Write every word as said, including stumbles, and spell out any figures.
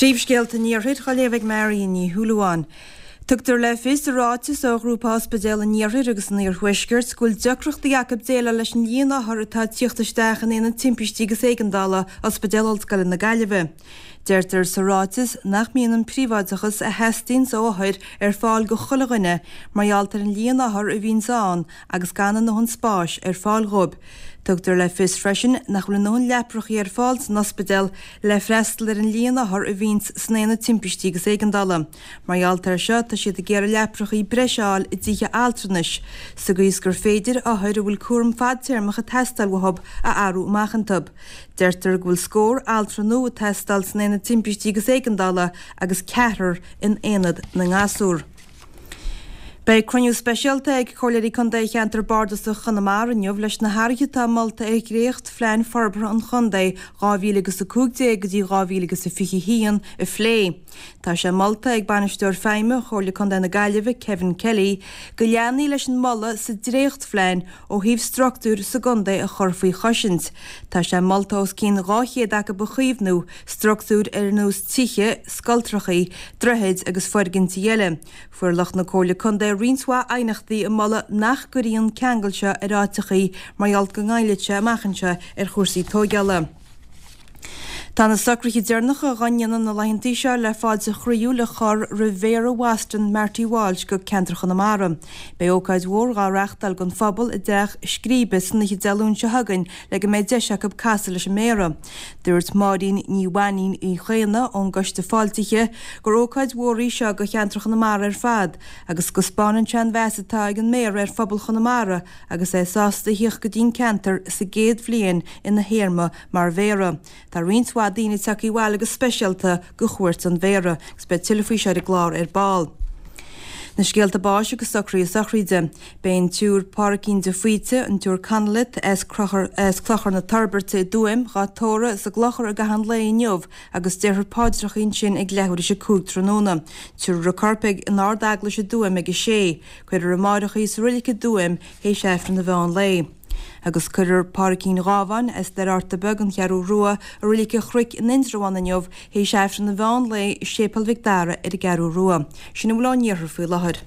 Príomhscéalta an Iarthair á léamh ag Marion Ní Shúilleabháin. Tugtar le fios i ráiteas ó Ghrúpa Ospidéal an Iarthair agus an Iarthuaiscirt go bhfuil deacrachtaí acu déileáil leis an líon othar atá ag tíocht isteach in Aonad Timpistí agus Éigeandála Ospidéal Ollscoile na Gaillimhe. Deirtear sa ráiteas nach mbíonn an príobháideachas a theastaíonn ó othair ar fáil go chuile dhuine mar gheall ar an líon othar a bhíonns ann agus gan a ndóthain spáis ar fáil dhóibh. Tugtar le fios freisin nach bhfuil a ndóthain leaprachaí ar fáil san ospidéal le freastal ar an líon othar a bhíonns san Aonad Timpistí agus Éigeandála. Mar gheall air seo tá siad ag iarraidh leaprachaí breise a fháil i dtithe altranais, sa gcaoi is gur féidir othair a bhfuil cúram fadtéarmach ag teastáil uathu a athrú amach iontu. Deirtear go bhfuil scór altra nua ag teastáil san Aonad Timpistí agus Éigeandála agus ceathrar in Aonad na nGasúr. Beidh cruinniú speisialta ag Comhairleoirí Contae Cheantar Bardasach Chonamara inniu leis na hathruithe atá molta ar dhréacht-phlean forbartha an chontae dhá mhíle agus a cúig déag go dtí dhá mhíle agus a fiche a haon a phlé. Tá sé molta ag Bainisteoir Feidhme Chomhairle Contae na Gaillimhe, Kevin Kelly, go leanfaí leis an moladh sa dréachtphlean ó thaobh struchtúir sa gcontae a chur faoi chosaint. Tá sé molta os cionn dhá chéad acu a chaomhnú, struchtúir ar nós tithe, scoltrachaí, droichid agus foirgintí eile. Fuair lucht na Comhairle Contae roinnt mhaith aighneachtaí ag moladh nach gcuirfí an ceangal seo ar áiteachaí mar gheall go ngoillfeadh sé amach anseo ar chúrsaí tóigeála. Tá na socruithe deireanacha dhá ndéanamh na laethantaí seo le fáilte chroíúil a chur roimh Mhéara Bhoston, Marty Walsh, go ceantar Chonamara. Beidh ócáid mhór dhá reáchtáil don phobal i dTeach Scríbe san oíche Dé Luain seo chugainn le go mbeidh deis acu casadh leis an Méara. Dúirt Máirín Ní Mhainín Uí Chaonna ón gCoiste Fáiltithe gur ócáid mhór í seo do cheantar Chonamara ar fad agus go spáineann sé an mheas atá ag an Méara ar phobal Chonamara agus é sásta a thíocht go dtí'n ceantar sa gcéad bhliain ina théarma mar Mhéara. Tá roinnt mhaith daoine tagtha abhaile go speisialta go chuairt an Mhéara agus beidh tuilleadh faoi seo ar an gclár ar ball. Na scéalta báis agus socruithe sochraide. Beidh an tSiúr Pádraigín de Faoite, an tSiúr Connolly as as Clochar na Toirbhirte i dTuaim, dhá tórramh sa gClochar i gcaitheamh an lae inniu agus déarfar paidreacha ansin ag leathuair théis a cúig tráthnóna. Tabharfar a corp ag an Ard-Eaglais i dTuaim ag a sé. Cuirfear amáireach í sa roilig i dTuaim théis Aifreann an mheán lae. Agus cuirfear Pádraigín Ghábháin as Doire Fharta Beag, An Cheathrú Rua, i Reilig an Chnoic in Indreabhán inniu théis Aifreann an mheán lae i Séipéal Mhic Dara ar an gCeathrú Rua. Sin a bhfuil ón iarthar faoi láthair.